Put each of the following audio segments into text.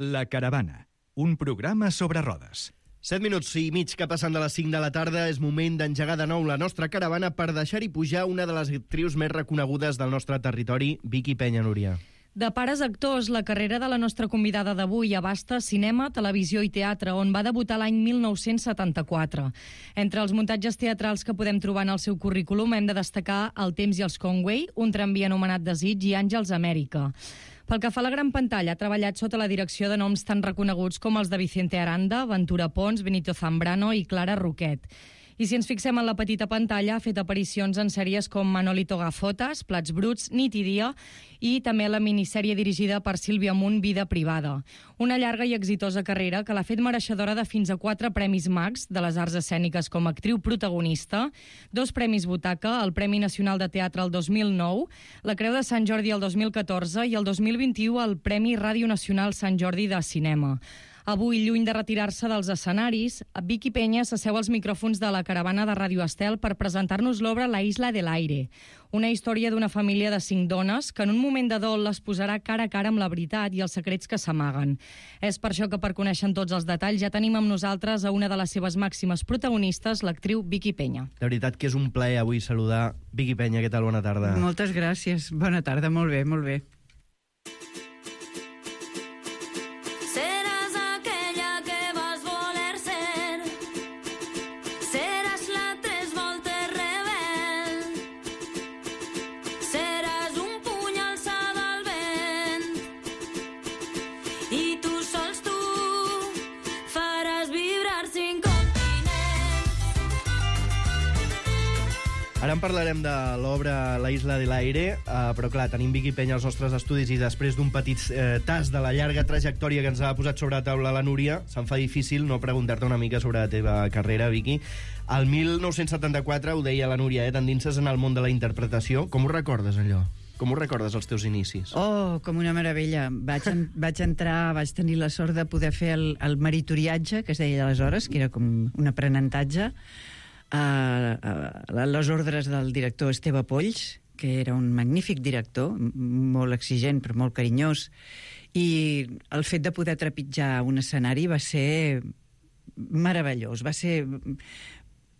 La Caravana, un programa sobre rodes. 7 minuts i mig que passen de les 5 de la tarda. És moment d'engegar de nou la nostra caravana per deixar-hi pujar una de les actrius més reconegudes del nostre territori, Vicky Peña, Núria. De pares actors, la carrera de la nostra convidada d'avui abasta cinema, televisió i teatre, on va debutar l'any 1974. Entre els muntatges teatrals que podem trobar en el seu currículum hem de destacar El temps i els Conway, Un tramvia anomenat Desig i Àngels Amèrica. Pel que fa a la gran pantalla, ha treballat sota la direcció de noms tan reconeguts com els de Vicente Aranda, Ventura Pons, Benito Zambrano i Clara Roquet. I si ens fixem en la petita pantalla, ha fet aparicions en sèries com Manolito Gafotas, Plats bruts, Nit i dia, i també la minissèrie dirigida per Sílvia Munt, Vida privada. Una llarga i exitosa carrera que l'ha fet mereixedora de fins a 4 Premis Max de les arts escèniques com a actriu protagonista, 2 Premis Butaca, el Premi Nacional de Teatre el 2009, la Creu de Sant Jordi el 2014 i el 2021 el Premi Ràdio Nacional Sant Jordi de Cinema. Avui, lluny de retirar-se dels escenaris, Vicky Peña s'asseu als micròfons de la caravana de Ràdio Estel per presentar-nos l'obra La isla del aire, una història d'una família de 5 dones que en un moment de dol les posarà cara a cara amb la veritat i els secrets que s'amaguen. És per això que, per conèixer tots els detalls, ja tenim amb nosaltres a una de les seves màximes protagonistes, l'actriu Vicky Peña. De veritat que és un plaer avui saludar Vicky Peña. Què tal? Bona tarda. Moltes gràcies. Bona tarda, molt bé, molt bé. Ara en parlarem de l'obra La isla de l'aire, però clar, tenim Vicky Peña als nostres estudis i després d'un petit tas de la llarga trajectòria que ens ha posat sobre la taula la Núria, se'm fa difícil no preguntar-te una mica sobre la teva carrera, Vicky. El 1974, ho deia la Núria, t'endinses en el món de la interpretació. Com ho recordes, allò? Com ho recordes, els teus inicis? Oh, com una meravella. Vaig tenir la sort de poder fer el meritoriatge, que es deia aleshores, que era com un aprenentatge, a les ordres del director Esteve Polls, que era un magnífic director, molt exigent però molt carinyós, i el fet de poder trepitjar un escenari va ser meravellós. Va ser...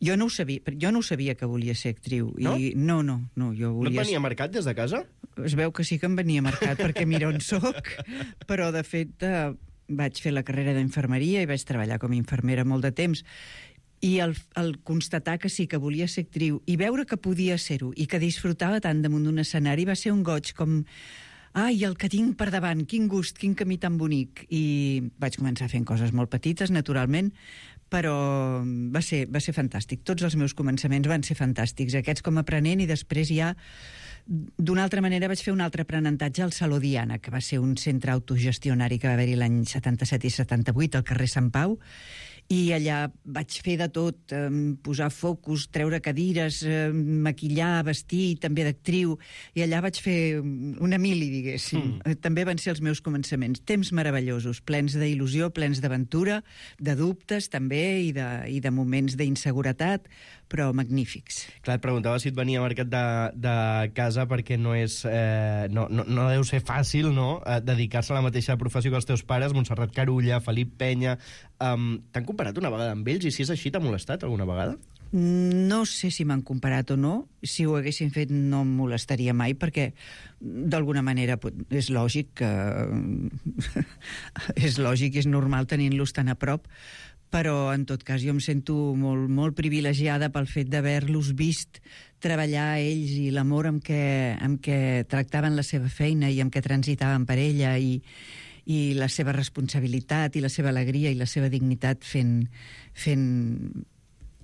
Jo no ho sabia que volia ser actriu. No? No, jo volia... No et venia marcat des de casa? Es veu que sí que em venia marcat, perquè mira on soc, però de fet vaig fer la carrera d'infermeria i vaig treballar com a infermera molt de temps. I el constatar que sí que volia ser actriu i veure que podia ser-ho i que disfrutava tant damunt d'un escenari va ser un goig com... Ai, el que tinc per davant, quin gust, quin camí tan bonic. I vaig començar fent coses molt petites, naturalment, però va ser fantàstic. Tots els meus començaments van ser fantàstics, aquests com a aprenent, i després ja d'una altra manera vaig fer un altre aprenentatge al Saló Diana, que va ser un centre autogestionari que va haver-hi l'any 77 i 78 al carrer Sant Pau, i allà vaig fer de tot, posar focus, treure cadires, maquillar, vestir, també d'actriu, i allà vaig fer una mili, diguéssim. També van ser els meus començaments. Temps meravellosos, plens d'il·lusió, plens d'aventura, de dubtes també, i de moments d'inseguretat, però magnífics. Clar, et preguntava si et venia marcat de casa perquè no és... no deu ser fàcil, no?, dedicar-se a la mateixa professió que els teus pares, Montserrat Carulla, Felip Peña... T'han comparat una vegada amb ells, i si és així, t'ha molestat alguna vegada? No sé si m'han comparat o no. Si ho haguessin fet no em molestaria mai, perquè d'alguna manera és lògic que... és lògic i és normal tenint-los tan a prop, però en tot cas jo em sento molt, molt privilegiada pel fet d'haver-los vist treballar ells i l'amor amb què tractaven la seva feina i amb què transitaven per ella, i la seva responsabilitat i la seva alegria i la seva dignitat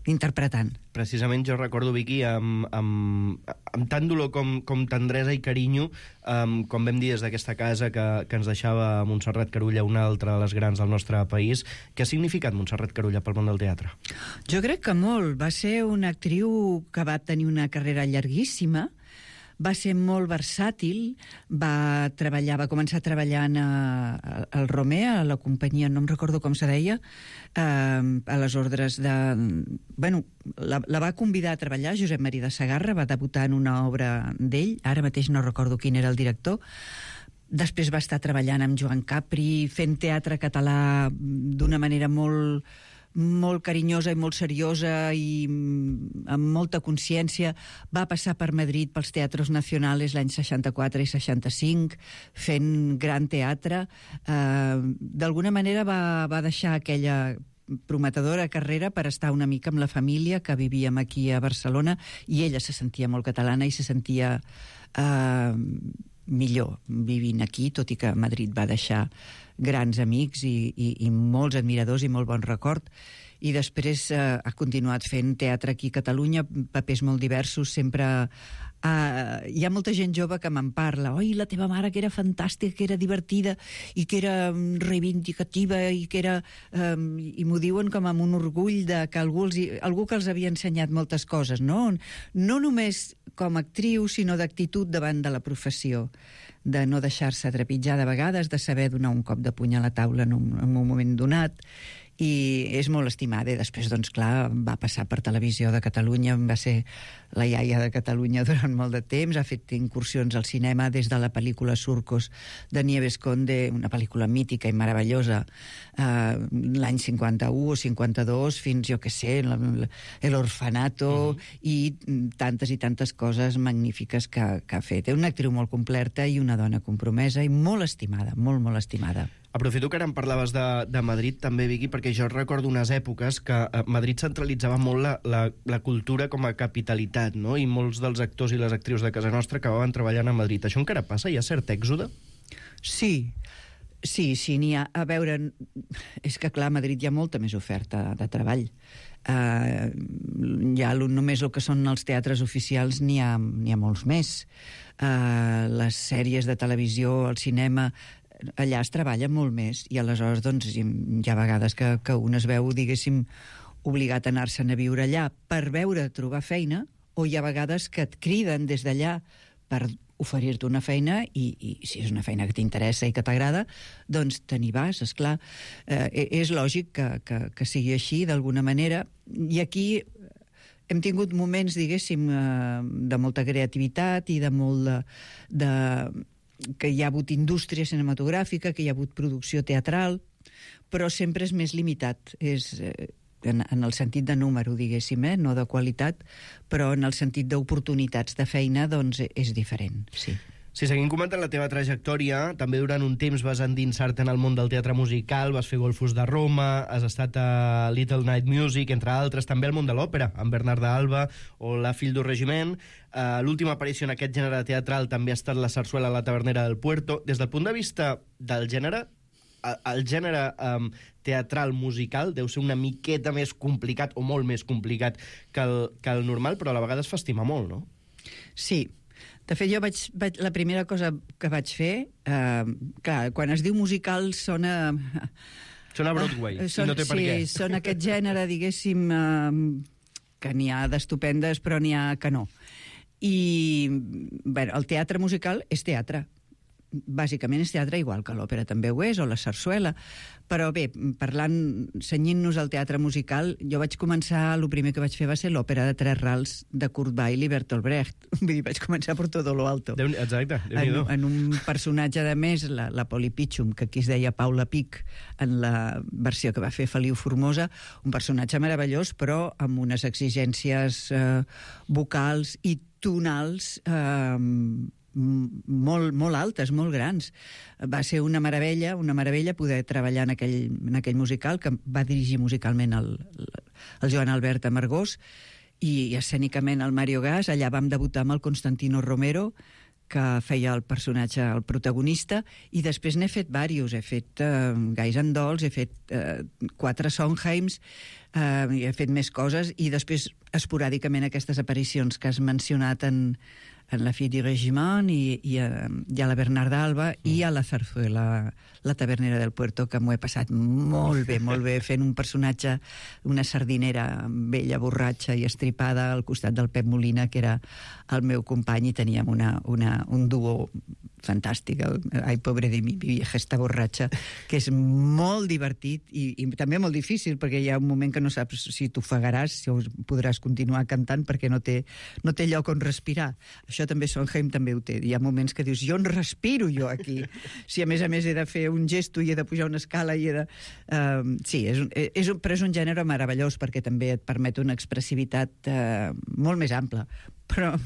interpretant. Precisament jo recordo, Vicky, amb tant dolor com tendresa i carinyo, com vam dir des d'aquesta casa que ens deixava Montserrat Carulla, una altra de les grans del nostre país. Què ha significat Montserrat Carulla pel món del teatre? Jo crec que molt. Va ser una actriu que va tenir una carrera llarguíssima, va ser molt versàtil, va començar treballant al Romea, a la companyia, no em recordo com se deia, a les ordres de... Bueno, la va convidar a treballar, Josep Maria de Segarra, va debutar en una obra d'ell, ara mateix no recordo quin era el director, Després va estar treballant amb Joan Capri, fent teatre català d'una manera molt carinyosa i molt seriosa i amb molta consciència. Va passar per Madrid pels Teatros Nacionales l'any 64 i 65, fent gran teatre. D'alguna manera va deixar aquella prometedora carrera per estar una mica amb la família, que vivíem aquí a Barcelona, i ella se sentia molt catalana i se sentia millor vivint aquí, tot i que a Madrid va deixar grans amics i molts admiradors i molt bon record. I després ha continuat fent teatre aquí a Catalunya, papers molt diversos, sempre... hi ha molta gent jove que me'n parla. Oi, la teva mare, que era fantàstica, que era divertida i que era reivindicativa i que era... I m'ho diuen com amb un orgull de que algú que els havia ensenyat moltes coses, no? No només com a actriu, sinó d'actitud davant de la professió, de no deixar-se trepitjar de vegades, de saber donar un cop de puny a la taula en un moment donat, i és molt estimada. I després, doncs, clar, va passar per Televisió de Catalunya, va ser la iaia de Catalunya durant molt de temps, ha fet incursions al cinema des de la pel·lícula Surcos de Nieves Conde, una pel·lícula mítica i meravellosa, l'any 51 o 52, fins, jo què sé, El Orfanato, i tantes coses magnífiques que ha fet. És una actriu molt completa i una dona compromesa i molt estimada, molt estimada. Aprofito que ara em parlaves de Madrid també, Vicky, perquè jo recordo unes èpoques que Madrid centralitzava molt la cultura com a capitalitat, no? I molts dels actors i les actrius de casa nostra acabaven treballant a Madrid. Això encara passa? Hi ha cert èxode? Sí, n'hi ha. A veure, és que clar, a Madrid hi ha molta més oferta de treball. Ja només el que són els teatres oficials n'hi ha molts més. Les sèries de televisió, el cinema... allà es treballa molt més, i aleshores doncs, hi ha vegades que un es veu, diguéssim, obligat a anar-se'n a viure allà per trobar feina, o hi ha vegades que et criden des d'allà per oferir-te una feina i si és una feina que t'interessa i que t'agrada, doncs te n'hi vas, esclar. És lògic que sigui així, d'alguna manera, i aquí hem tingut moments, diguéssim, de molta creativitat i de molt que hi ha hagut indústria cinematogràfica, que hi ha hagut producció teatral, però sempre és més limitat. És en el sentit de número, diguéssim, no de qualitat, però en el sentit d'oportunitats de feina, doncs és diferent, sí. Si seguim comentant la teva trajectòria, també durant un temps vas endinsar-te en el món del teatre musical, vas fer Golfos de Roma, has estat a Little Night Music, entre altres, també al món de l'òpera, amb Bernard d'Alba o La Fill du Regiment. L'última aparició en aquest gènere teatral també ha estat la sarsuela a la Tavernera del Puerto. Des del punt de vista del gènere, el gènere teatral musical deu ser una miqueta més complicat, o molt més complicat que el normal, però a la vegada es fa estimar molt, no? Sí. De fet, jo la primera cosa que vaig fer... clar, quan es diu musical sona... Sona Broadway, i no té per què. Sí, són aquest gènere, diguéssim, que n'hi ha d'estupendes, però n'hi ha que no. I bé, el teatre musical és teatre. Bàsicament és teatre, igual que l'òpera també ho és, o la sarsuela. Però bé, cenyint-nos al teatre musical, jo vaig començar, el primer que vaig fer va ser l'òpera de Tres Rals de Kurt Weill i Bertolt Brecht. Vull dir, vaig començar per todo lo alto. Exacte, Déu-n'hi-do. En un personatge, de més, la Polly Pitchum, que aquí es deia Paula Pic, en la versió que va fer Feliu Formosa, un personatge meravellós, però amb unes exigències vocals i tonals molt altes, molt grans. Va ser una meravella poder treballar en aquell musical, que va dirigir musicalment el Joan Albert Amargós, i escènicament el Mario Gas. Allà vam debutar amb el Constantino Romero, que feia el personatge, el protagonista, i després n'he fet diversos. He fet Guys and Dolls, he fet 4 Sondheims, i he fet més coses, i després esporàdicament aquestes aparicions que has mencionat en La Fill du Regiment i a la Bernard d'Alba i a la zarzuela, la Tavernera del Puerto, que m'ho he passat molt bé fent un personatge, una sardinera vella, borratxa i estripada al costat del Pep Molina, que era el meu company, i teníem un duo fantàstic, Ai, pobre de mi vieja esta borratxa, que és molt divertit i també molt difícil, perquè hi ha un moment que no saps si t'ofegaràs, si podràs continuar cantant, perquè no té lloc on respirar. això també Sondheim també ho té. Hi ha moments que dius, jo on respiro jo aquí? Si a més he de fer un gesto i he de pujar una escala i he de... Sí, però és un gènere meravellós perquè també et permet una expressivitat molt més ampla. Però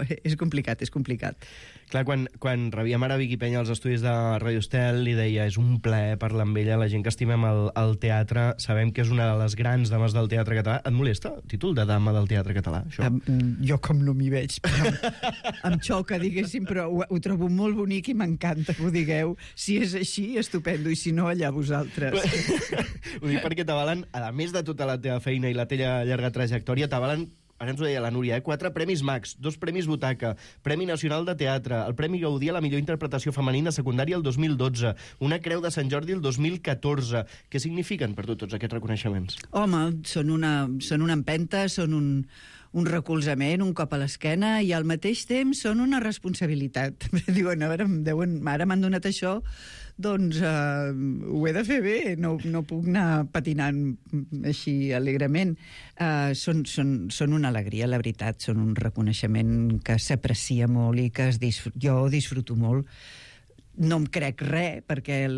és complicat, és complicat. Clar, quan rebíem ara Vicky Penya als estudis de Radio Estel, li deia, és un plaer parlar amb ella, la gent que estimem el teatre, sabem que és una de les grans dames del teatre català. Et molesta el títol de dama del teatre català, això? Jo com no m'hi veig, però em xoca, diguéssim, però ho trobo molt bonic i m'encanta que ho digueu. Si és així, estupendo, i si no, allà vosaltres. Ho dic perquè t'avalen, a més de tota la teva feina i la teva llarga trajectòria, t'avalen, ara ens ho deia la Núria, 4 premis Max, 2 premis Butaca, Premi Nacional de Teatre, el Premi Gaudí a la millor interpretació femenina secundària el 2012, una Creu de Sant Jordi el 2014. Què signifiquen per tu tots aquests reconeixements? Home, són una empenta, són un recolzament, un cop a l'esquena, i al mateix temps són una responsabilitat. Diuen, a veure, ara m'han donat això, doncs ho he de fer bé, no puc anar patinant així alegrement. Són una alegria, la veritat, són un reconeixement que s'aprecia molt i que jo disfruto molt. No em crec res, perquè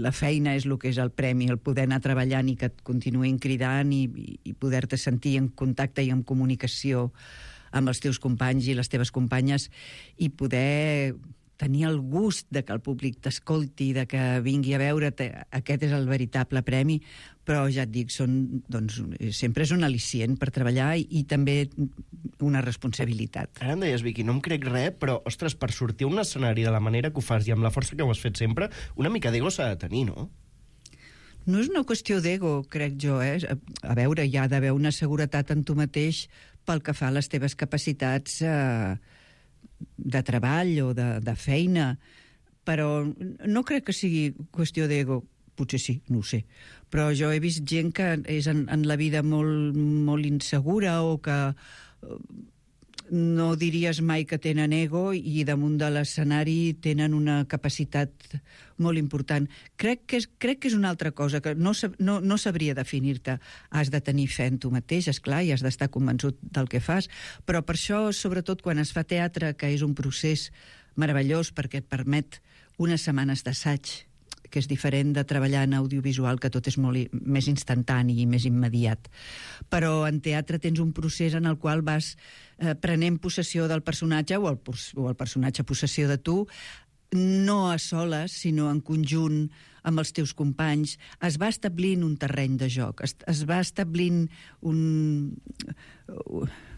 la feina és el que és el premi, el poder anar treballant i que et continuïn cridant i poder-te sentir en contacte i en comunicació amb els teus companys i les teves companyes i poder tenir el gust de que el públic t'escolti, de que vingui a veure't. Aquest és el veritable premi, però ja et dic, sempre és un al·licient per treballar i també una responsabilitat. Ara em deies, Vicky, no em crec res, però, ostres, per sortir a un escenari de la manera que ho fas i amb la força que ho has fet sempre, una mica d'ego s'ha de tenir, no? No és una qüestió d'ego, crec jo, A veure, hi ha d'haver una seguretat en tu mateix pel que fa a les teves capacitats de treball o de feina, però no crec que sigui qüestió d'ego. Potser sí, no ho sé. Però jo he vist gent que és en la vida molt, molt insegura o que no diries mai que tenen ego i damunt de l'escenari tenen una capacitat molt important. Crec que és una altra cosa, que no sabria definir-te. Has de tenir fe en tu mateix, esclar, i has d'estar convençut del que fas, però per això, sobretot quan es fa teatre, que és un procés meravellós perquè et permet unes setmanes d'assaig, que és diferent de treballar en audiovisual, que tot és molt més instantani i més immediat. Però en teatre tens un procés en el qual vas prenent possessió del personatge o el personatge possessió de tu, no a soles, sinó en conjunt amb els teus companys. Es va establint un terreny de joc, es va establint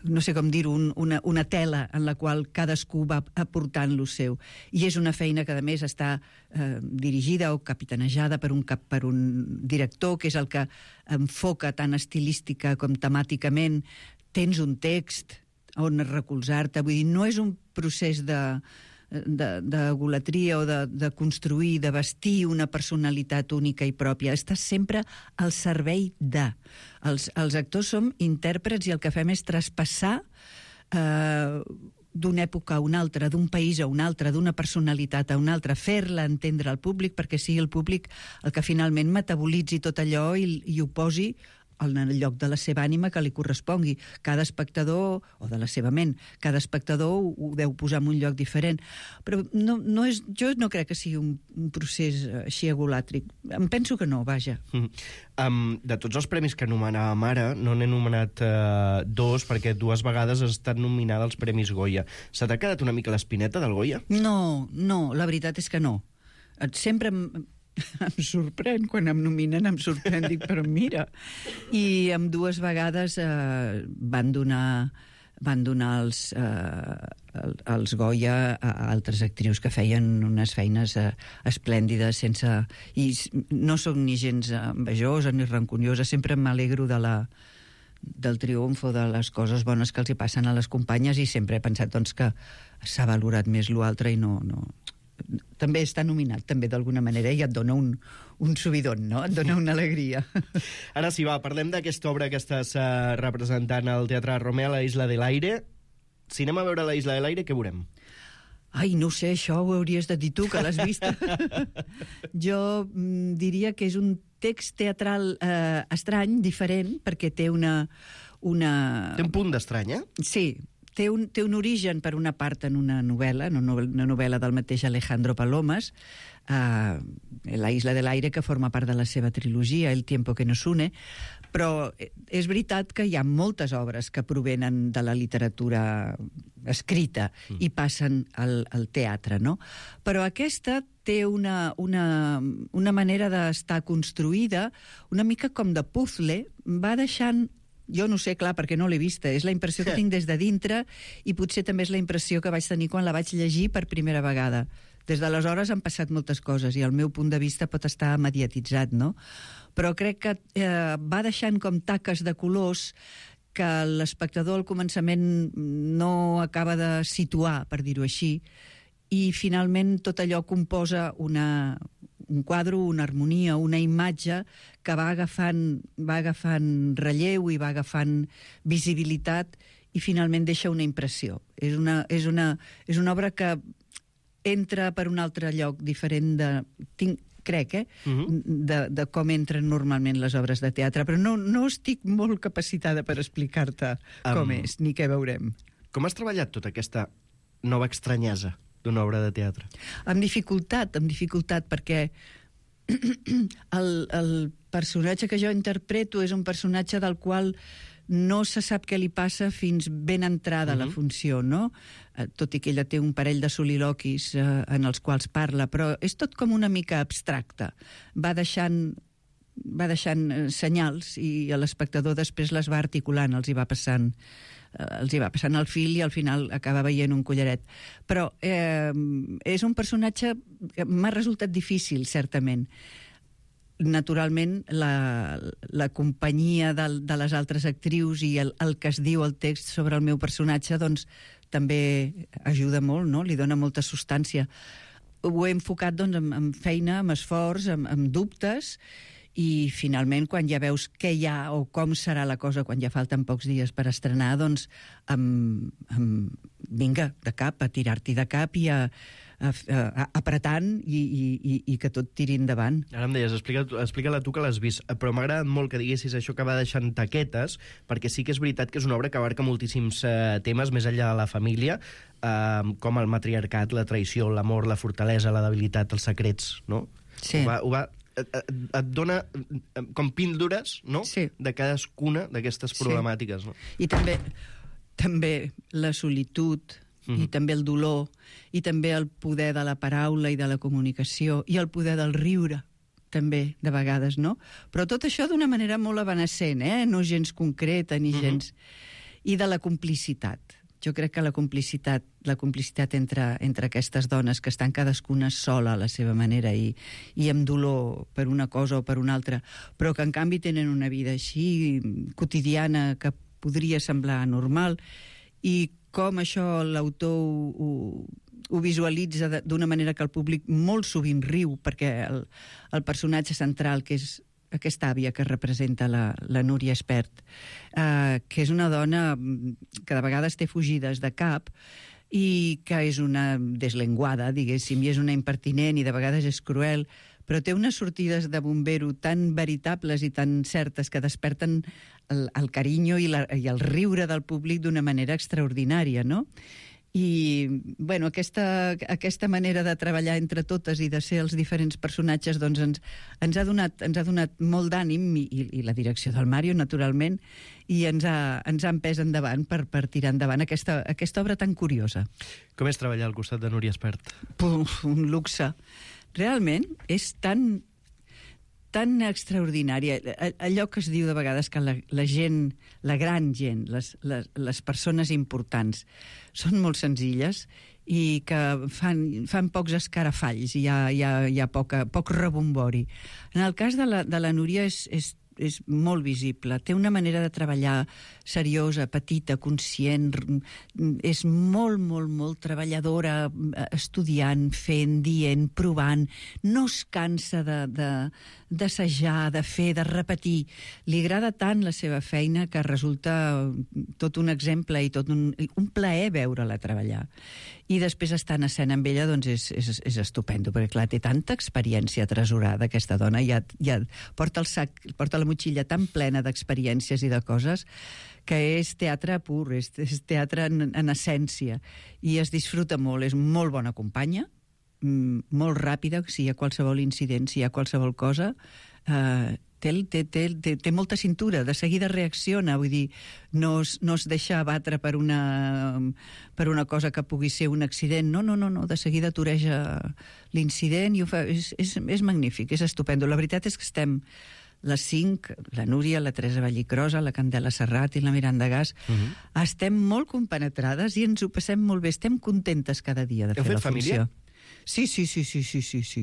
no sé com dir-ho, una tela en la qual cadascú va aportant lo seu. I és una feina que, a més, està dirigida o capitanejada per un director, que és el que enfoca tant estilística com temàticament. Tens un text on recolzar-te. Vull dir, no és un procés d'egolatria o de construir, de vestir una personalitat única i pròpia. Estàs sempre al servei de. Els actors som intèrprets i el que fem és traspassar d'una època a una altra, d'un país a un altre, d'una personalitat a una altra, fer-la entendre al públic perquè sigui el públic el que finalment metabolitzi tot allò i ho posi en el lloc de la seva ànima que li correspongui. Cada espectador, o de la seva ment, cada espectador ho deu posar en un lloc diferent. Però jo no crec que sigui un procés així egolàtric. Em penso que no, vaja. De tots els premis que anomenàvem ara, no n'he anomenat 2, perquè 2 vegades has estat nominada als Premis Goya. Se t'ha quedat una mica l'espineta del Goya? No, la veritat és que no. Sempre em sorprèn, quan em nominen em sorprèn, dic, però mira. I amb 2 vegades van donar els Goya a altres actrius que feien unes feines esplèndides, i no soc ni gens envejosa ni rancuniosa, sempre m'alegro del triomf o de les coses bones que els hi passen a les companyes, i sempre he pensat que s'ha valorat més l'altre i no. També està nominat, també, d'alguna manera, i et dona un subidon, no? Et dona una alegria. Ara sí, va, parlem d'aquesta obra que estàs representant al Teatre Romea, La Isla de l'Aire. Si anem a veure La Isla de l'Aire, què veurem? Ai, no sé, això ho hauries de dir tu, que l'has vist. Jo diria que és un text teatral estrany, diferent, perquè té una... Té un punt d'estrany, eh? Sí, té un origen, per una part, en una novel·la del mateix Alejandro Palomas, La isla del aire, que forma part de la seva trilogia, El tiempo que nos une, però és veritat que hi ha moltes obres que provenen de la literatura escrita i passen al teatre, no? Però aquesta té una manera d'estar construïda una mica com de puzzle, va deixant... Jo no sé, clar, perquè no l'he vista. És la impressió que tinc des de dintre i potser també és la impressió que vaig tenir quan la vaig llegir per primera vegada. Des d'aleshores han passat moltes coses i el meu punt de vista pot estar mediatitzat, no? Però crec que va deixant com taques de colors que l'espectador al començament no acaba de situar, per dir-ho així, i finalment tot allò composa un quadre, una harmonia, una imatge que va agafant relleu i va agafant visibilitat i finalment deixa una impressió. És una obra que entra per un altre lloc diferent de com entren normalment les obres de teatre, però no estic molt capacitada per explicar-te com és, ni què veurem. Com has treballat tota aquesta nova estranyesa d'una obra de teatre? Amb dificultat, perquè el personatge que jo interpreto és un personatge del qual no se sap què li passa fins ben entrada la funció, no? Tot i que ella té un parell de soliloquis en els quals parla, però és tot com una mica abstracte. Va deixant senyals i l'espectador després les va articulant, els hi va passant el fil i al final acaba veient un collaret. Però és un personatge que m'ha resultat difícil, certament. Naturalment, la companyia de les altres actrius i el que es diu al text sobre el meu personatge doncs, també ajuda molt, no? Li dona molta substància. Ho he enfocat doncs, amb feina, amb esforç, amb dubtes, i finalment, quan ja veus què hi ha o com serà la cosa quan ja falten pocs dies per estrenar, doncs vinga, de cap, a tirar-t'hi de cap i apretant i que tot tiri endavant. Ara em deies, explica-la tu que l'has vist, però m'ha agradat molt que diguessis això que va deixant taquetes, perquè sí que és veritat que és una obra que abarca moltíssims temes més enllà de la família, com el matriarcat, la traïció, l'amor, la fortalesa, la debilitat, els secrets, no? Sí. Et dona com píldores, no? Sí. De cadascuna d'aquestes problemàtiques, no? I també la solitud, i també el dolor, i també el poder de la paraula i de la comunicació, i el poder del riure, també, de vegades, no? Però tot això d'una manera molt evanescent, no gens concreta ni gens... I de la complicitat. Jo crec que la complicitat entre aquestes dones que estan cadascuna sola a la seva manera i amb dolor per una cosa o per una altra, però que en canvi tenen una vida així quotidiana que podria semblar normal, i com això l'autor ho visualitza d'una manera que el públic molt sovint riu, perquè el personatge central, que és aquesta àvia que representa la Núria Espert, que és una dona que de vegades té fugides de cap i que és una deslenguada, diguéssim, i és una impertinent i de vegades és cruel, però té unes sortides de bombero tan veritables i tan certes que desperten el carinyo i el riure del públic d'una manera extraordinària, no? I, bueno, aquesta manera de treballar entre totes i de ser els diferents personatges doncs ens ha donat molt d'ànim, i la direcció del Mario, naturalment, i ens ha empès endavant per tirar endavant aquesta obra tan curiosa. Com és treballar al costat de Núria Espert? Un luxe. Realment és tan extraordinària. Allò que es diu de vegades que la gent, la gran gent, les persones importants, són molt senzilles i que fan pocs escarafalls i hi ha poc rebombori. En el cas de la Núria és molt visible. Té una manera de treballar seriosa, petita, conscient, és molt, molt, molt treballadora, estudiant, fent, dient, provant, no es cansa d'assajar, de fer, de repetir. Li agrada tant la seva feina que resulta tot un exemple i tot un plaer veure-la treballar. I després estar en escena amb ella doncs és estupendo, perquè clar, té tanta experiència atresorada aquesta dona, ja porta el sac, porta la motxilla tan plena d'experiències i de coses que és teatre pur, és teatre en essència, i es disfruta molt, és molt bona companya, molt ràpida, si hi ha qualsevol incident, si hi ha qualsevol cosa, té molta cintura, de seguida reacciona, vull dir, no es deixa abatre per una cosa que pugui ser un accident, no, de seguida toreja l'incident i ho fa, és magnífic, és estupendo. La veritat és que estem les 5, la Núria, la Teresa Vallicrosa, la Candela Serrat i la Miranda Gas, estem molt compenetrades i ens ho passem molt bé, estem contentes cada dia de fer la funció. Sí.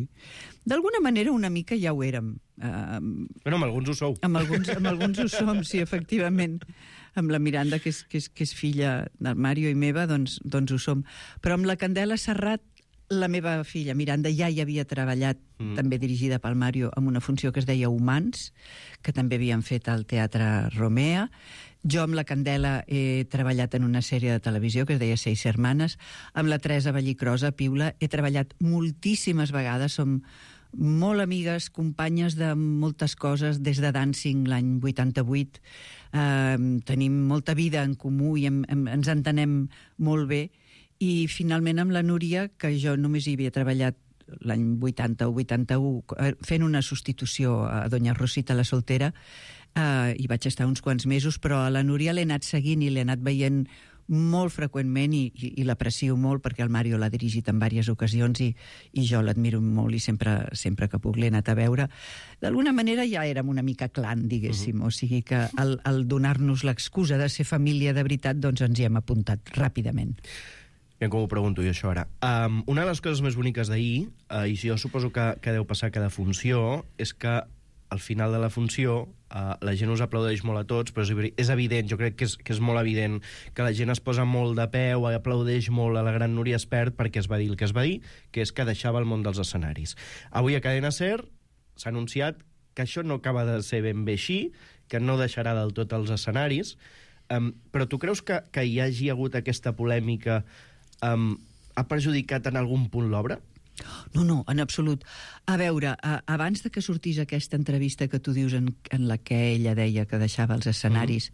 D'alguna manera una mica ja ho érem. Bueno, amb alguns ho sou. Amb alguns ho som, sí, efectivament. Amb la Miranda, que és filla del Mario i meva, doncs ho som. Però amb la Candela Serrat, la meva filla Miranda ja hi havia treballat, també dirigida pel Mario, amb una funció que es deia Humans, que també havien fet al Teatre Romea. Jo amb la Candela he treballat en una sèrie de televisió que es deia Seis Hermanes. Amb la Teresa Vallicrosa, Piula, he treballat moltíssimes vegades. Som molt amigues, companyes de moltes coses, des de Dancing l'any 88. Tenim molta vida en comú i ens entenem molt bé. I finalment amb la Núria, que jo només hi havia treballat l'any 80 o 81, fent una substitució a Doña Rosita la soltera, hi vaig estar uns quants mesos, però a la Núria l'he anat seguint i l'he anat veient molt freqüentment i l'aprecio molt perquè el Mario l'ha dirigit en diverses ocasions i jo l'admiro molt i sempre que puc l'he anat a veure. D'alguna manera ja érem una mica clan, diguéssim, o sigui que al donar-nos l'excusa de ser família de veritat, doncs ens hi hem apuntat ràpidament. Ja com ho pregunto jo, això ara. Una de les coses més boniques d'ahir, i jo suposo que deu passar cada funció, és que al final de la funció la gent us aplaudeix molt a tots, però és evident, jo crec que és molt evident que la gent es posa molt de peu, aplaudeix molt a la gran Núria Espert perquè es va dir el que es va dir, que és que deixava el món dels escenaris. Avui a Cadena SER s'ha anunciat que això no acaba de ser ben bé així, que no deixarà del tot els escenaris, però tu creus que hi hagi hagut aquesta polèmica ha perjudicat en algun punt l'obra? No, en absolut. A veure, abans de que sortís aquesta entrevista que tu dius en la que ella deia que deixava els escenaris,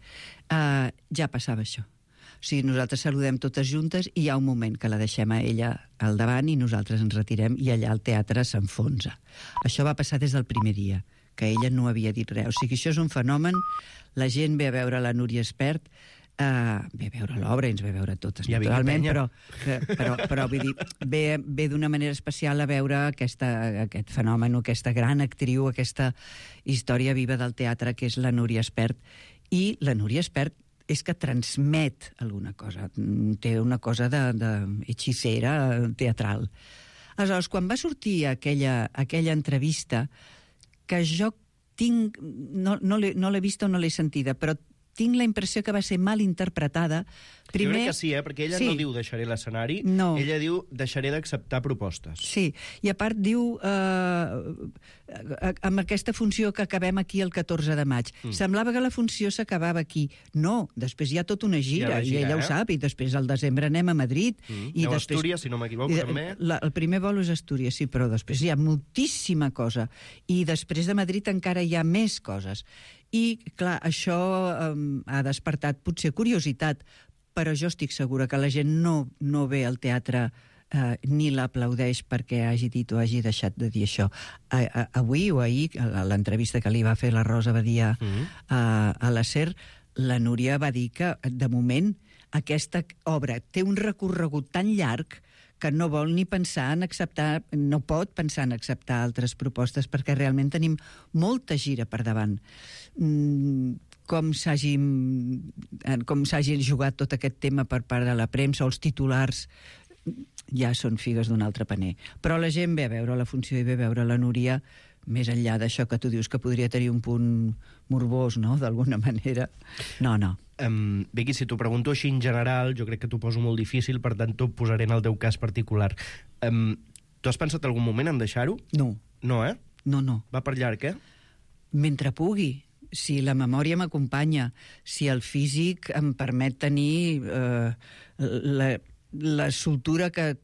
ja passava això. O sigui, nosaltres saludem totes juntes i hi ha un moment que la deixem a ella al davant i nosaltres ens retirem i allà el teatre s'enfonsa. Això va passar des del primer dia, que ella no havia dit res. O sigui, això és un fenomen, la gent ve a veure la Núria Espert, ve a veure l'obra i ens ve a veure totes, naturalment, però vull dir, ve d'una manera especial a veure aquest fenomen, aquesta gran actriu, aquesta història viva del teatre que és la Núria Espert. I la Núria Espert és que transmet alguna cosa, té una cosa d'hechicera teatral. Aleshores, quan va sortir aquella entrevista, que jo tinc, no l'he vista o no l'he sentida, però tinc la impressió que va ser mal interpretada. Primer... Jo crec que sí, perquè ella no diu deixaré l'escenari, ella diu deixaré d'acceptar propostes. Sí, i a part diu amb aquesta funció que acabem aquí el 14 de maig. Semblava que la funció s'acabava aquí. No, després hi ha tota una gira, i ella ho sap, i després al desembre anem a Madrid. Aneu a Astúries, si no m'equivoco, també. El primer vol és Astúries, sí, però després hi ha moltíssima cosa. I després de Madrid encara hi ha més coses. I, clar, això ha despertat potser curiositat, però jo estic segura que la gent no ve al teatre ni l'aplaudeix perquè hagi dit o hagi deixat de dir això. Avui o ahir, a l'entrevista que li va fer la Rosa Badia a la SER, la Núria va dir que, de moment, aquesta obra té un recorregut tan llarg que no vol ni pensar en acceptar, no pot pensar en acceptar altres propostes perquè realment tenim molta gira per davant. Com s'hagi jugat tot aquest tema per part de la premsa o els titulars ja són figues d'un altre paner. Però la gent ve a veure la funció i ve a veure la Núria més enllà d'això que tu dius que podria tenir un punt morbós, no?, d'alguna manera. No. Vicky, si t'ho pregunto així en general, jo crec que t'ho poso molt difícil, per tant t'ho posaré en el teu cas particular. Tu has pensat algun moment en deixar-ho? No. No, eh? No. Va per llarg, eh? Mentre pugui. Si la memòria m'acompanya, si el físic em permet tenir la soltura que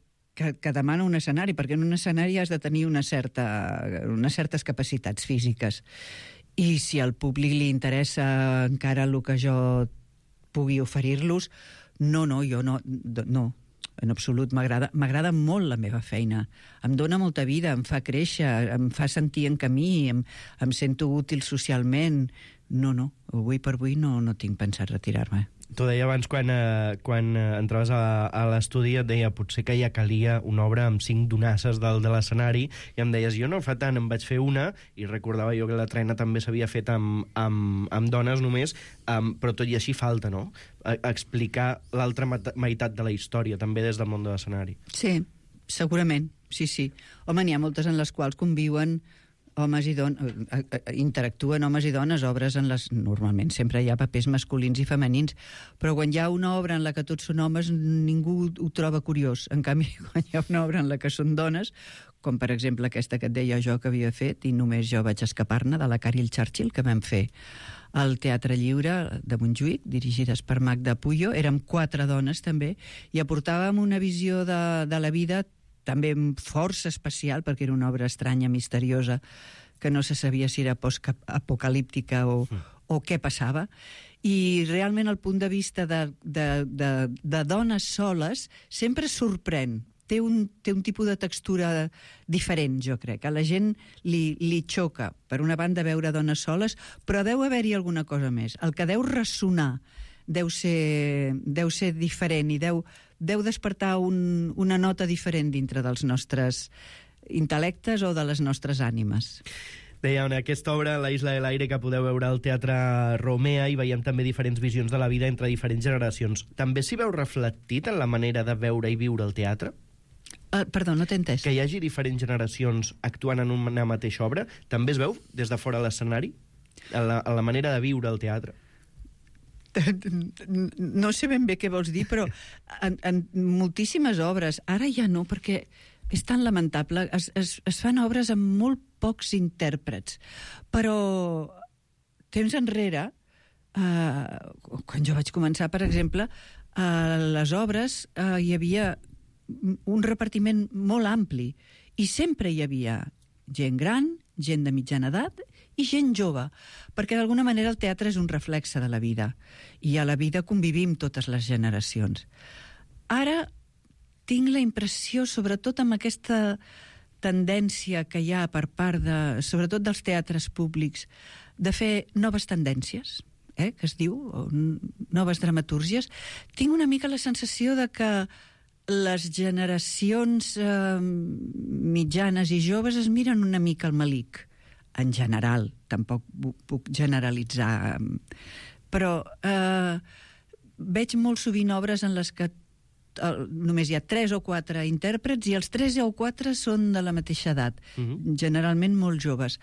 demana un escenari, perquè en un escenari has de tenir unes certes capacitats físiques. I si al públic li interessa encara el que jo pugui oferir-los, jo no, en absolut. M'agrada molt la meva feina. Em dóna molta vida, em fa créixer, em fa sentir en camí, em sento útil socialment. No, avui per avui no tinc pensat retirar-me. T'ho deia abans quan entraves a l'estudi, et deia potser que ja calia una obra amb 5 donasses dalt de l'escenari, i em deies, jo no fa tant, em vaig fer una, i recordava jo que la Trena també s'havia fet amb dones només, però tot i així falta, no? Explicar l'altra meitat de la història, també des del món de l'escenari. Sí, segurament, sí. Home, n'hi ha moltes en les quals conviuen homes i dones, interactuen homes i dones, obres en les... Normalment sempre hi ha papers masculins i femenins, però quan hi ha una obra en la que tots són homes, ningú ho troba curiós. En canvi, quan hi ha una obra en la que són dones, com per exemple aquesta que et deia jo que havia fet, i només jo vaig escapar-ne, de la Caril Churchill, que vam fer al Teatre Lliure de Montjuïc, dirigides per Magda Puyo. Érem 4 dones, també, i aportàvem una visió de la vida també força especial, perquè era una obra estranya, misteriosa, que no se sabia si era post-apocalíptica o què passava. I realment el punt de vista de dones soles sempre sorprèn. Té un tipus de textura diferent, jo crec. A la gent li xoca, per una banda, veure dones soles, però deu haver-hi alguna cosa més. El que deu ressonar deu ser diferent i deu despertar una nota diferent dintre dels nostres intel·lectes o de les nostres ànimes. Deia, en aquesta obra, La isla de l'aire, que podeu veure al Teatre Romea, i veiem també diferents visions de la vida entre diferents generacions. També s'hi veu reflectit en la manera de veure i viure el teatre? Perdó, no t'he entès. Que hi hagi diferents generacions actuant en una mateixa obra, també es veu des de fora de l'escenari? En la manera de viure el teatre? No sé ben bé què vols dir, però en moltíssimes obres, ara ja no, perquè és tan lamentable, es fan obres amb molt pocs intèrprets, però temps enrere, quan jo vaig començar, per exemple, a les obres hi havia un repartiment molt ampli, i sempre hi havia gent gran, gent de mitjana edat i gent jove, perquè d'alguna manera el teatre és un reflexe de la vida, i a la vida convivim totes les generacions. Ara tinc la impressió, sobretot amb aquesta tendència que hi ha per part sobretot dels teatres públics, de fer noves tendències, que es diu, noves dramatúrgies. Tinc una mica la sensació de que les generacions mitjanes i joves es miren una mica al melic, en general, tampoc puc generalitzar, però veig molt sovint obres en les que només hi ha 3 o 4 intèrprets i els 3 o 4 són de la mateixa edat, generalment molt joves.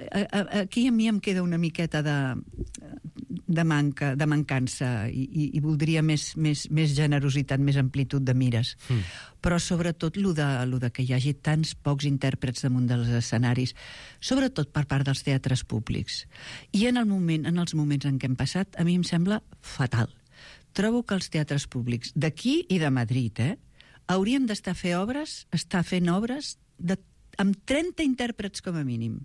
Aquí a mi em queda una miqueta de mancança i voldria més generositat, més amplitud de mires. Però sobretot lo de que hi hagi tants pocs intèrprets damunt dels escenaris, sobretot per part dels teatres públics. I en els moments en què hem passat, a mi em sembla fatal. Trobo que els teatres públics d'aquí i de Madrid hauríem d'estar fent obres amb 30 intèrprets com a mínim,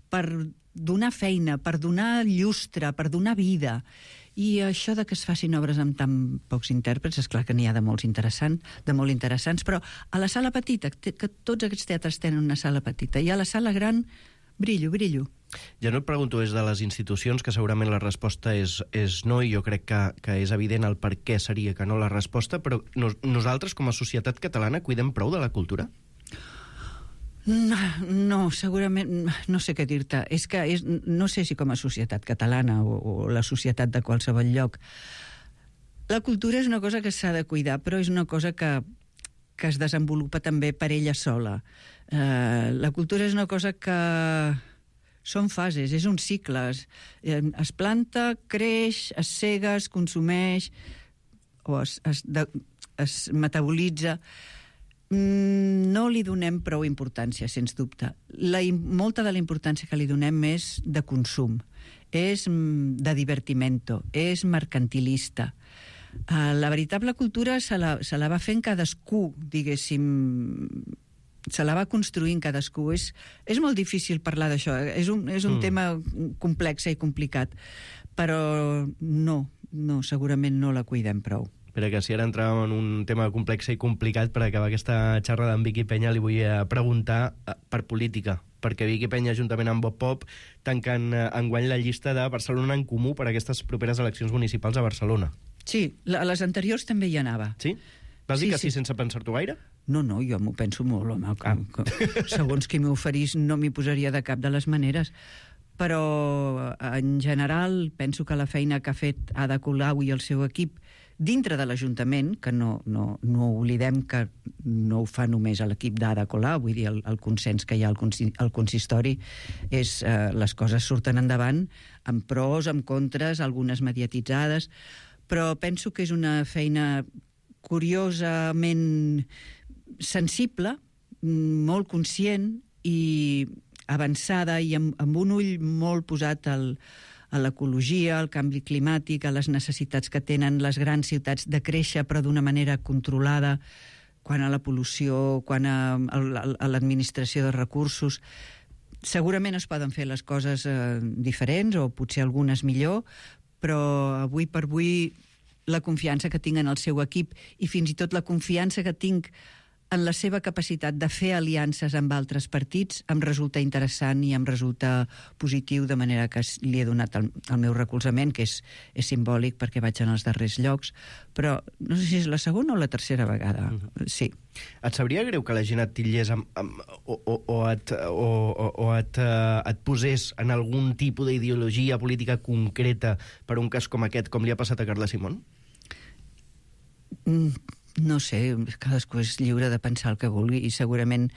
per donar feina, per donar llustre, per donar vida. I això de que es facin obres amb tan pocs intèrprets, és clar que n'hi ha de molt interessants, però a la sala petita, que tots aquests teatres tenen una sala petita, i a la sala gran, brillo. Ja no et pregunto des de les institucions, que segurament la resposta és no, i jo crec que és evident el per què seria que no la resposta, però nosaltres, com a societat catalana, cuidem prou de la cultura? No, segurament, no sé què dir-te. No sé si com a societat catalana o la societat de qualsevol lloc. La cultura és una cosa que s'ha de cuidar, però és una cosa que es desenvolupa també per ella sola. La cultura és una cosa que són fases, és un cicle. Es planta, creix, es sega, es consumeix, o es metabolitza. No li donem prou importància, sens dubte. Molta de la importància que li donem és de consum, és de divertimento, és mercantilista. La veritable cultura se la va fent cadascú, diguéssim, se la va construint cadascú. És molt difícil parlar d'això, és un tema complex i complicat, però no, segurament no la cuidem prou. Però que si ara entràvem en un tema complex i complicat, per acabar aquesta xerrada amb Vicky Peña li vull preguntar per política, perquè Vicky Peña, juntament amb Bob Pop, tanquen enguany la llista de Barcelona en Comú per a aquestes properes eleccions municipals a Barcelona. Sí, a les anteriors també hi anava. Sí? Vas dir que sí sense pensar-t'ho gaire? No, jo m'ho penso molt, home. Segons qui m'oferís no m'hi posaria de cap de les maneres. Però, en general, penso que la feina que ha fet Ada Colau i el seu equip dintre de l'Ajuntament, que no oblidem que no ho fa només l'equip d'Ada Colau, vull dir, el consens que hi ha al consistori, les coses surten endavant amb pros, amb contres, algunes mediatitzades, però penso que és una feina curiosament sensible, molt conscient i avançada i amb un ull molt posat a l'ecologia, al canvi climàtic, a les necessitats que tenen les grans ciutats de créixer, però d'una manera controlada, quant a la pol·lució, quant a l'administració de recursos. Segurament es poden fer les coses diferents, o potser algunes millor, però avui per avui la confiança que tinc en el seu equip i fins i tot la confiança que tinc en la seva capacitat de fer aliances amb altres partits em resulta interessant i em resulta positiu, de manera que li he donat el meu recolzament, que és simbòlic perquè vaig en els darrers llocs, però no sé si és la segona o la tercera vegada. Sí. Et sabria greu que la gent et titllés o et posés en algun tipus d'ideologia política concreta per un cas com aquest, com li ha passat a Carla Simón? No sé, cadascú és lliure de pensar el que vulgui i segurament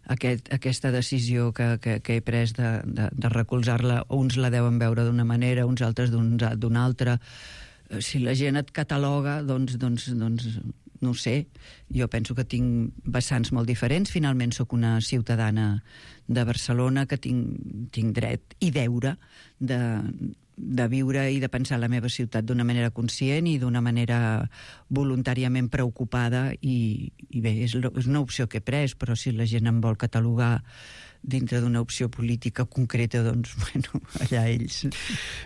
aquesta decisió que he pres de recolzar-la, uns la deuen veure d'una manera, uns altres d'una altra. Si la gent et cataloga, doncs no ho sé. Jo penso que tinc vessants molt diferents. Finalment sóc una ciutadana de Barcelona que tinc dret i deure de viure i de pensar la meva ciutat d'una manera conscient i d'una manera voluntàriament preocupada i bé, és una opció que he pres, però si la gent em vol catalogar dintre d'una opció política concreta, doncs, bueno, allà ells.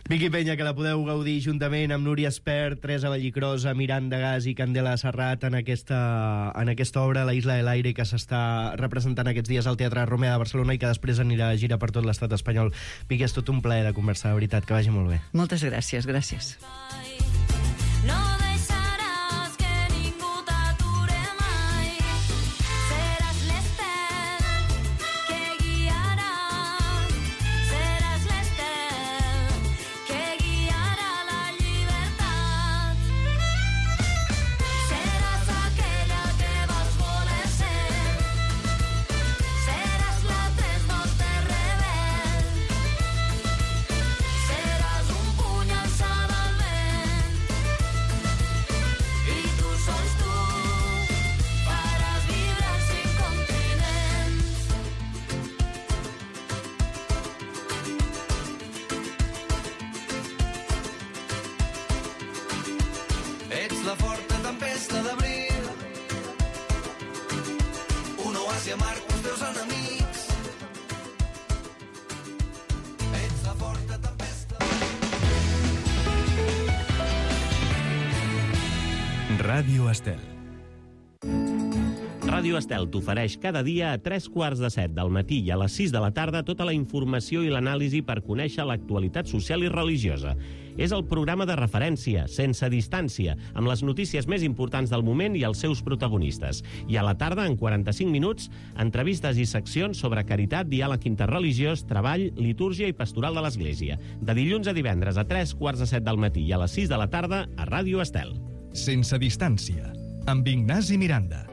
Vicky Peña, que la podeu gaudir juntament amb Núria Espert, Teresa Vallicrosa, Miranda Gas i Candela Serrat en aquesta obra, La Isla de l'Aire, que s'està representant aquests dies al Teatre Romea de Barcelona i que després anirà a gira per tot l'estat espanyol. Vicky, és tot un plaer de conversar, de veritat, que vagi molt bé. Moltes gràcies, gràcies. La forta tempesta d'abril, un oasi amarg pels teus enemics. Ets la forta tempesta. Ràdio Estel. Ràdio Estel t'ofereix cada dia a 3:15 del matí i a les 6 de la tarda tota la informació i l'anàlisi per conèixer l'actualitat social i religiosa. És el programa de referència, sense distància, amb les notícies més importants del moment i els seus protagonistes. I a la tarda, en 45 minuts, entrevistes i seccions sobre caritat, diàleg interreligiós, treball, litúrgia i pastoral de l'Església. De dilluns a divendres a 3:15 del matí i a les 6 de la tarda a Ràdio Estel. Sense distància, amb Ignasi Miranda.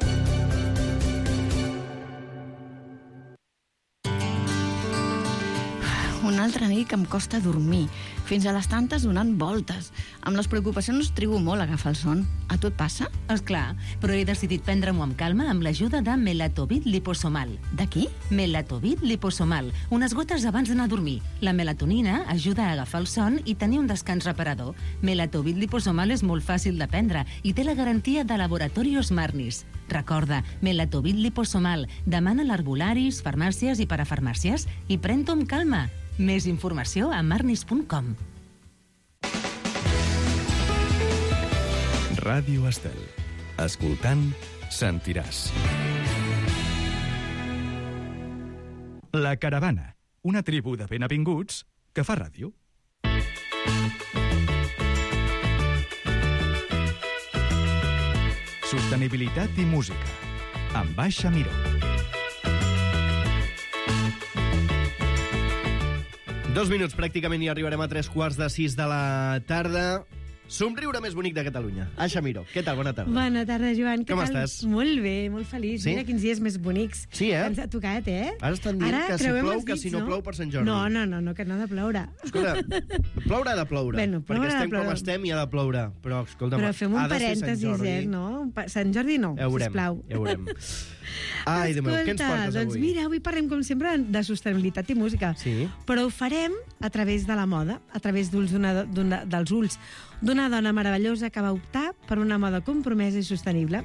Una altra nit que em costa dormir, fins a les tantes donant voltes. Amb les preocupacions trigo molt a agafar el son. A tu et passa? Esclar, però he decidit prendre-m'ho amb calma amb l'ajuda de Melatovit Liposomal. De qui? Melatovit Liposomal, unes gotes abans d'anar a dormir. La melatonina ajuda a agafar el son i tenir un descans reparador. Melatovit Liposomal és molt fàcil de prendre i té la garantia de Laboratorios Marnis. Recorda, Melatovit Liposomal. Demana a l'herbolaris, farmàcies i parafarmàcies i pren-t'ho amb calma. Més informació a marnis.com. Ràdio Estel. Escoltant, sentiràs. La Caravana, una tribu de benavinguts que fa ràdio. Sostenibilitat i música, amb Baixa Miró. Dos minuts pràcticament i arribarem a 3:45 de la tarda. Somriure més bonic de Catalunya. Aixa Miró, què tal? Bona tarda. Bona tarda, Joan. Com estàs? Molt bé, molt feliç. Sí? Mira quins dies més bonics. Sí, eh? Ens ha tocat, eh? Ara estan dient que si plou, que si no plou per Sant Jordi. No, que no ha de ploure. Escolta, ploure ha de ploure. Bueno, perquè estem com estem i ha de ploure. Però, escolta'm, però fem un ha de ser Sant parèntesis, Jordi. no? Sant Jordi no, sisplau. Ja ho veurem. Ai, Déu meu, què ens portes avui? Doncs mira, avui parlem, com sempre, de sostenibilitat i música. Sí. Però ho farem a través de la moda, a través dels ulls d'una dona meravellosa que va optar per una moda compromesa i sostenible.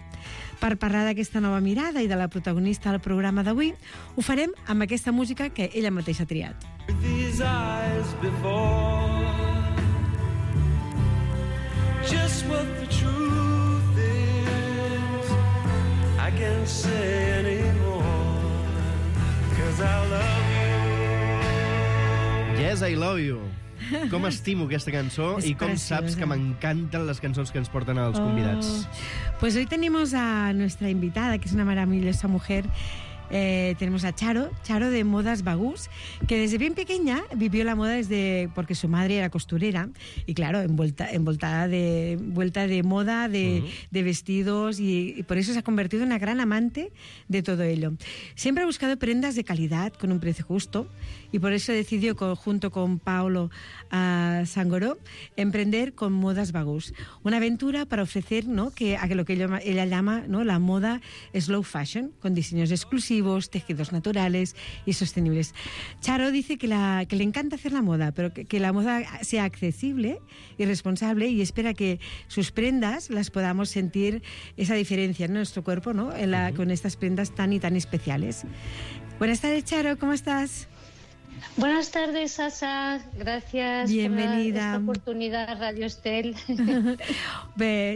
Per parlar d'aquesta nova mirada i de la protagonista del programa d'avui, ho farem amb aquesta música que ella mateixa ha triat. These eyes before, just what the truth is, I can't say anymore, 'cause I love you. Yes, I love you. Com estimo aquesta cançó i com saps que m'encanten les cançons que ens porten els convidats. Pues hoy tenemos a nuestra invitada, que es una maravillosa mujer. Tenemos a Charo de Modas Bagús, que desde bien pequeña vivió la moda porque su madre era costurera y claro, envuelta de moda, de vestidos y por eso se ha convertido en una gran amante de todo ello. Siempre ha buscado prendas de calidad con un precio justo y por eso decidió junto con Paolo Sangoró emprender con Modas Bagús, una aventura para ofrecer, ¿no?, a lo que ella llama, ¿no?, la moda slow fashion, con diseños exclusivos, tejidos naturales y sostenibles. Charo dice que le encanta hacer la moda, pero que la moda sea accesible y responsable y espera que sus prendas las podamos sentir esa diferencia en nuestro cuerpo, ¿no?, con estas prendas tan y tan especiales. Buenas tardes, Charo, ¿cómo estás? Buenas tardes, Sasa. Gracias Bienvenida. por esta oportunidad, Radio Estel.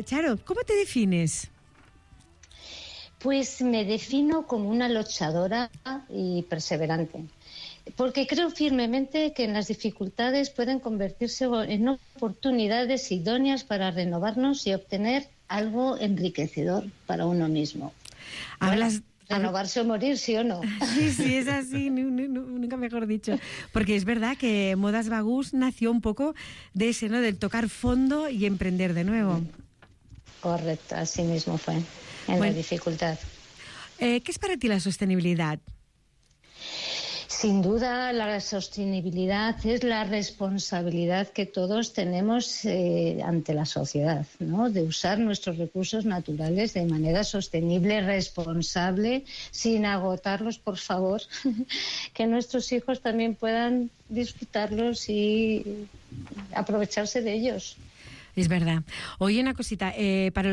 Charo, ¿cómo te defines? Pues me defino como una luchadora y perseverante, porque creo firmemente que en las dificultades pueden convertirse en oportunidades idóneas para renovarnos y obtener algo enriquecedor para uno mismo. Renovarse o morir, ¿sí o no? Sí, es así, nunca mejor dicho. Porque es verdad que Modas Bagús nació un poco de ese, ¿no?, del tocar fondo y emprender de nuevo. Correcto, así mismo fue, la dificultad. ¿Qué es para ti la sostenibilidad? Sin duda, la sostenibilidad es la responsabilidad que todos tenemos ante la sociedad, ¿no?, de usar nuestros recursos naturales de manera sostenible, responsable, sin agotarlos, por favor, que nuestros hijos también puedan disfrutarlos y aprovecharse de ellos. Es verdad. Oye, una cosita, para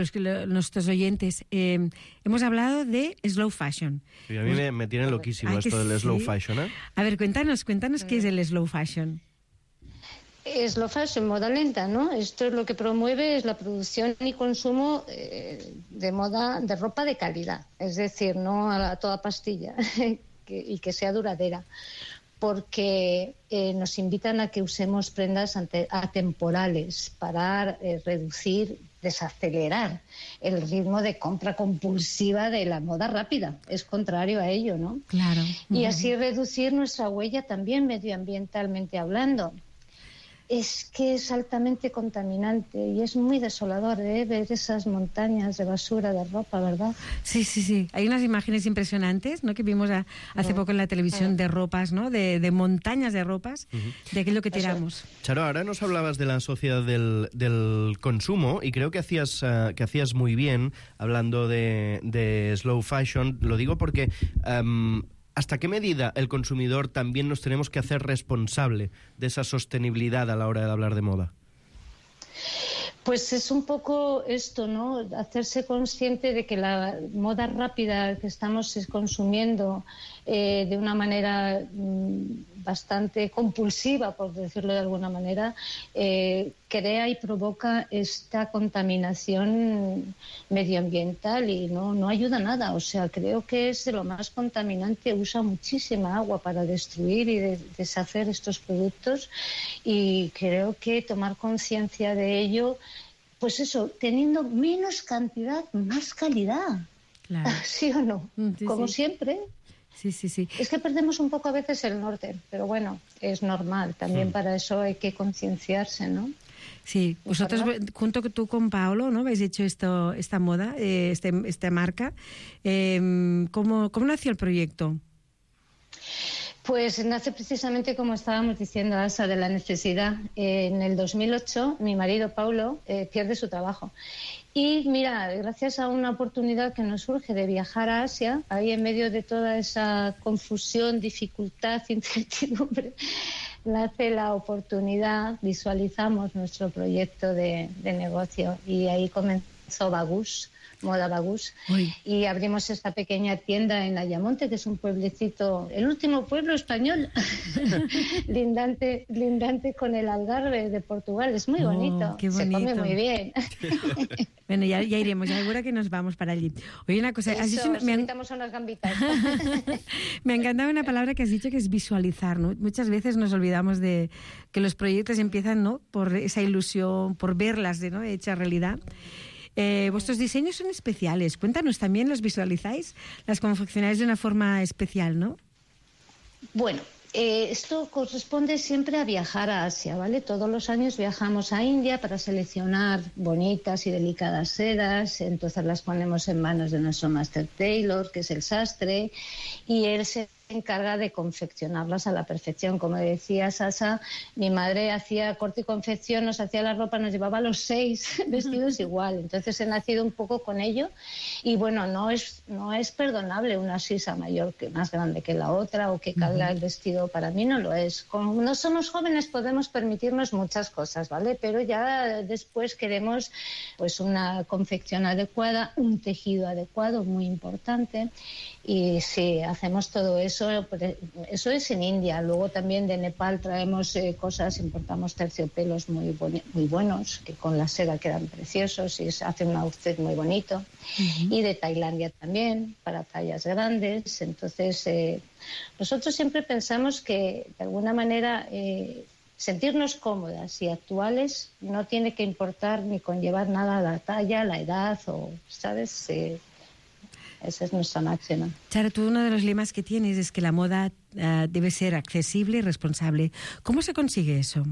nuestros oyentes, hemos hablado de slow fashion. Sí, a mí me tiene loquísimo esto del slow fashion, ¿eh? A ver, cuéntanos qué es el slow fashion. Slow fashion, moda lenta, ¿no? Esto es lo que promueve es la producción y consumo de moda, de ropa de calidad, es decir, no a toda pastilla y que sea duradera, porque nos invitan a que usemos prendas atemporales para reducir, desacelerar el ritmo de compra compulsiva de la moda rápida. Es contrario a ello, ¿no? Claro. Y así reducir nuestra huella también medioambientalmente hablando. es que es altamente contaminante y es muy desolador ver esas montañas de basura de ropa, ¿verdad? Sí, sí, sí. Hay unas imágenes impresionantes, ¿no?, que vimos hace poco en la televisión de ropas, ¿no?, de montañas de ropas, de aquello que tiramos. Charo, ahora nos hablabas de la sociedad del consumo y creo que hacías muy bien hablando de slow fashion. Lo digo porque ¿hasta qué medida el consumidor también nos tenemos que hacer responsable de esa sostenibilidad a la hora de hablar de moda? Pues es un poco esto, ¿no? Hacerse consciente de que la moda rápida que estamos consumiendo de una manera bastante compulsiva, por decirlo de alguna manera, crea y provoca esta contaminación medioambiental y no ayuda a nada. O sea, creo que es de lo más contaminante, usa muchísima agua para destruir y deshacer estos productos y creo que tomar conciencia de ello, pues eso, teniendo menos cantidad, más calidad. Claro. ¿Sí o no? Sí, Como sí. siempre. Sí, sí, sí. Es que perdemos un poco a veces el norte, pero bueno, es normal. También para eso hay que concienciarse, ¿no? Sí, vosotros, junto tú con Paolo, ¿no?, habéis hecho esta moda, esta marca. ¿Cómo nació el proyecto? Pues nace precisamente, como estábamos diciendo, Asa, de la necesidad. En el 2008, mi marido, Paulo, pierde su trabajo. Y mira, gracias a una oportunidad que nos surge de viajar a Asia, ahí en medio de toda esa confusión, dificultad, incertidumbre, nace la oportunidad, visualizamos nuestro proyecto de negocio y ahí comenzó Bagus, Moda Bagus, y abrimos esta pequeña tienda en Ayamonte, que es un pueblecito, el último pueblo español, lindante con el Algarve de Portugal. Es muy bonito, qué bonito. Se come muy bien. Bueno, ya iremos, ya seguro que nos vamos para allí. Oye, una cosa, has dicho, necesitamos unas gambitas. me ha encantado una palabra que has dicho, que es visualizar, ¿no? Muchas veces nos olvidamos de que los proyectos empiezan, ¿no?, por esa ilusión, por verlas, ¿no?, hechas realidad. Vuestros diseños son especiales. Cuéntanos, ¿también los visualizáis? Las confeccionáis de una forma especial, ¿no? Bueno, esto corresponde siempre a viajar a Asia, ¿vale? Todos los años viajamos a India para seleccionar bonitas y delicadas sedas, entonces las ponemos en manos de nuestro Master Tailor, que es el sastre, y él se encarga de confeccionarlas a la perfección. Como decía Sasa, mi madre hacía corte y confección, nos hacía la ropa, nos llevaba los 6 vestidos igual. Entonces he nacido un poco con ello y bueno, no es perdonable una sisa mayor que más grande que la otra o que carga el vestido. Para mí no lo es. Como no somos jóvenes podemos permitirnos muchas cosas, ¿vale? Pero ya después queremos pues una confección adecuada, un tejido adecuado, muy importante. Y sí, hacemos todo eso. Eso es en India. Luego también de Nepal traemos cosas, importamos terciopelos muy buenos, que con la seda quedan preciosos y se hace un outfit muy bonito. Y de Tailandia también, para tallas grandes. Entonces, nosotros siempre pensamos que, de alguna manera, sentirnos cómodas y actuales no tiene que importar ni conllevar nada a la talla, la edad o, ¿sabes?, esa es nuestra máxima. Charo, tú uno de los lemas que tienes es que la moda debe ser accesible y responsable. ¿Cómo se consigue eso?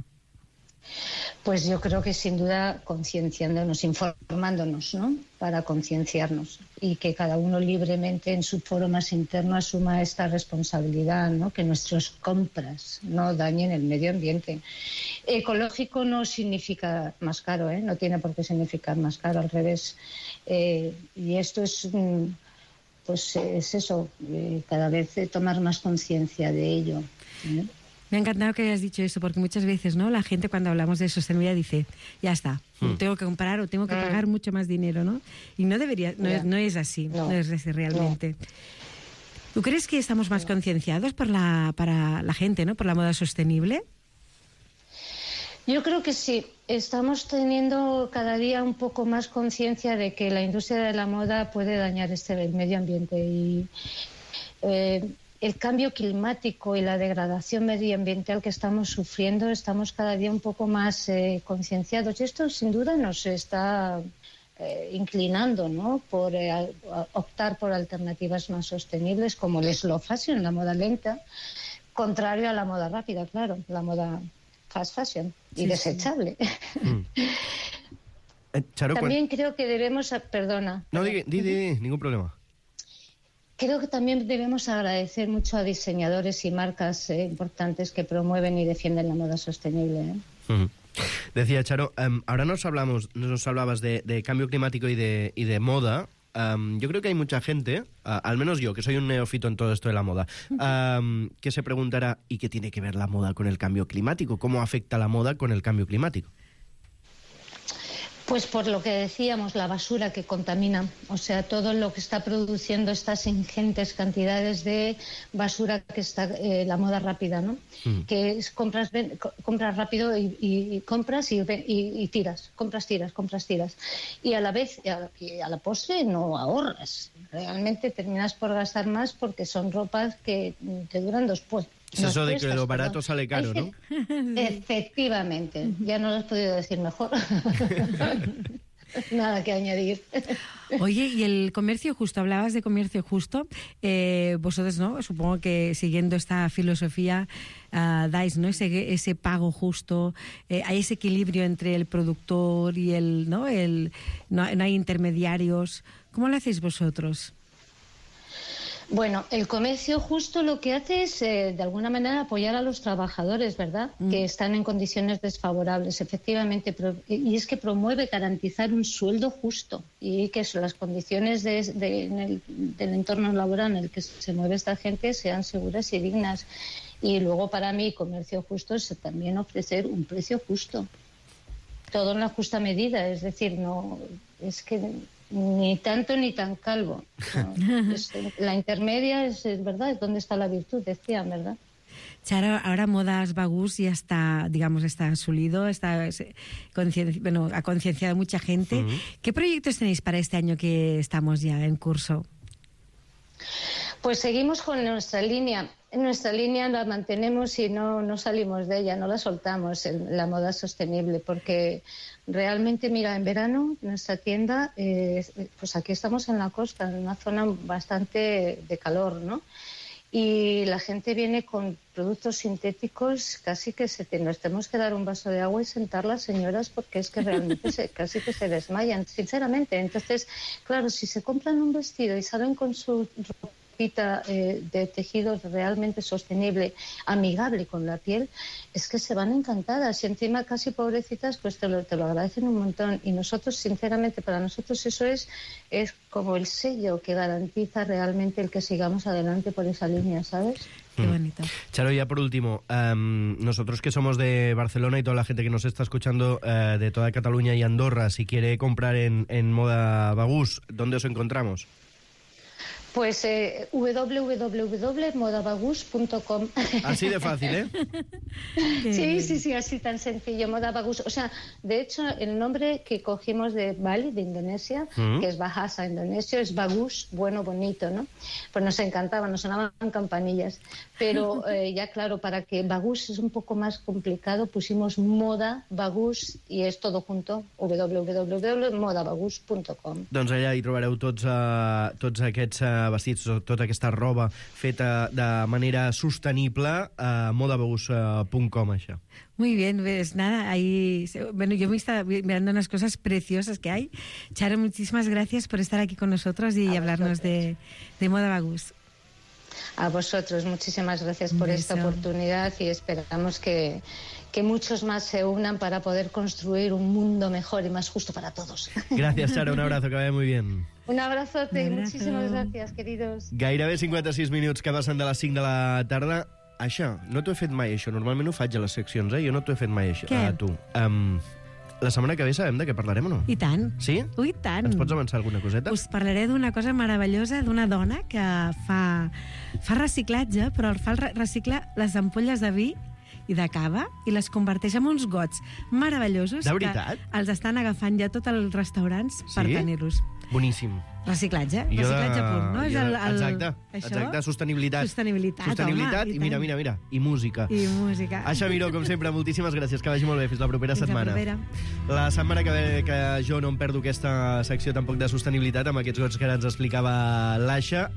Pues yo creo que sin duda concienciándonos, informándonos, ¿no?, para concienciarnos y que cada uno libremente en su foro más interno asuma esta responsabilidad, ¿no?, que nuestras compras no dañen el medio ambiente. Ecológico no significa más caro, no tiene por qué significar más caro, al revés. Y esto es... pues es eso, cada vez tomar más conciencia de ello. Me ha encantado que hayas dicho eso, porque muchas veces, ¿no?, la gente cuando hablamos de sostenibilidad dice, ya está, tengo que comprar o tengo que pagar mucho más dinero, ¿no? Y no debería, no es así, no es así realmente. No. ¿Tú crees que estamos más concienciados para la gente, ¿no?, por la moda sostenible? Yo creo que sí. Estamos teniendo cada día un poco más conciencia de que la industria de la moda puede dañar el medio ambiente y el cambio climático y la degradación medioambiental que estamos sufriendo, estamos cada día un poco más concienciados y esto sin duda nos está inclinando, ¿no?, por optar por alternativas más sostenibles como el slow fashion, la moda lenta, contrario a la moda rápida, claro, la moda fast fashion y desechable. Charo, también creo que debemos... Perdona. No, di, ningún problema. Creo que también debemos agradecer mucho a diseñadores y marcas importantes que promueven y defienden la moda sostenible. Decía Charo, ahora nos hablabas de cambio climático y de moda. Yo creo que hay mucha gente, al menos yo, que soy un neófito en todo esto de la moda, que se preguntará, ¿y qué tiene que ver la moda con el cambio climático? ¿Cómo afecta la moda con el cambio climático? Pues por lo que decíamos, la basura que contamina, o sea, todo lo que está produciendo estas ingentes cantidades de basura que está la moda rápida, ¿no? Que es compras rápido y compras y tiras, compras, tiras. Y a la vez, a la postre no ahorras. Realmente terminas por gastar más porque son ropas que te duran después. Es eso de que lo barato sale caro, ¿no? Efectivamente, ya no lo has podido decir mejor. Nada que añadir. Oye, y el comercio justo, hablabas de comercio justo. Vosotros, ¿no? Supongo que siguiendo esta filosofía dais, ¿no? Ese pago justo. Hay ese equilibrio entre el productor y no hay intermediarios. ¿Cómo lo hacéis vosotros? Bueno, el comercio justo lo que hace es, de alguna manera, apoyar a los trabajadores, ¿verdad? Que están en condiciones desfavorables, efectivamente. Y es que promueve garantizar un sueldo justo y que las condiciones del entorno laboral en el que se mueve esta gente sean seguras y dignas. Y luego, para mí, comercio justo es también ofrecer un precio justo. Todo en la justa medida, es decir, no es que... Ni tanto ni tan calvo. No, la intermedia es verdad, es donde está la virtud, decían, ¿verdad? Charo, ahora Modas Bagús ya está, digamos, está asulido, ha concienciado a mucha gente. ¿Qué proyectos tenéis para este año que estamos ya en curso? Pues seguimos con nuestra línea. Nuestra línea la mantenemos y no salimos de ella, no la soltamos, la moda sostenible, porque realmente, mira, en verano nuestra tienda, pues aquí estamos en la costa, en una zona bastante de calor, ¿no? Y la gente viene con productos sintéticos, casi que nos tenemos que dar un vaso de agua y sentar las señoras porque es que realmente casi que se desmayan, sinceramente. Entonces, claro, si se compran un vestido y salen con su ropita de tejido realmente sostenible, amigable con la piel, es que se van encantadas y encima casi pobrecitas pues te lo agradecen un montón. Y nosotros, sinceramente, para nosotros eso es como el sello que garantiza realmente el que sigamos adelante por esa línea, ¿sabes? Qué bonito. Charo, ya por último, nosotros que somos de Barcelona y toda la gente que nos está escuchando de toda Cataluña y Andorra, si quiere comprar en Moda Bagús, ¿dónde os encontramos? Pues www.modabagús.com. Así de fácil, ¿eh? Sí, así tan sencillo, Moda Bagús. O sea, de hecho, el nombre que cogimos de Bali, de Indonesia, que es Bahasa indonesio, es Bagús, bueno, bonito, ¿no? Pues nos encantaba, nos sonaban campanillas. Pero ya claro, para que Bagús es un poco más complicado, pusimos Moda Bagús i és todo junto, www.modabagús.com. Doncs allà hi trobareu tots aquests vestits, tota aquesta roba feta de manera sostenible a modabagús.com, això. Muy bien, pues nada, ahí... Bueno, yo me estaba mirando unas cosas preciosas que hay. Charo, muchísimas gracias por estar aquí con nosotros y hablarnos de Moda Bagús. A vosotros, muchísimas gracias por esta oportunidad y esperamos que muchos más se unan para poder construir un mundo mejor y más justo para todos. Gracias, Charo, un abrazo, que vaya muy bien. Un abrazote y muchísimas gracias, queridos. Gairebé 56 minuts que passen de les 5 de la tarda. Això, no t'ho he fet mai, això. Normalment ho faig a les seccions, Jo no t'ho he fet mai, això. Què? A tu. La setmana que ve sabem de què parlarem o no? I tant. Sí? I tant. Ens pots avançar alguna coseta? Us parlaré d'una cosa meravellosa, d'una dona que fa reciclatge, però recicla les ampolles de vi i de cava i les converteix en uns gots meravellosos. De veritat? Que els estan agafant ja tots els restaurants per tenir-los. Boníssim. Reciclatge pur, no? Exacte, sostenibilitat. Sostenibilitat, i mira, i música. I música. Aixa Miró, com sempre, moltíssimes gràcies, que vagi molt bé, fins la propera setmana. Fins la propera. La setmana que ve, que jo no em perdo aquesta secció tampoc de sostenibilitat, amb aquests gots que ara ens explicava l'Aixa.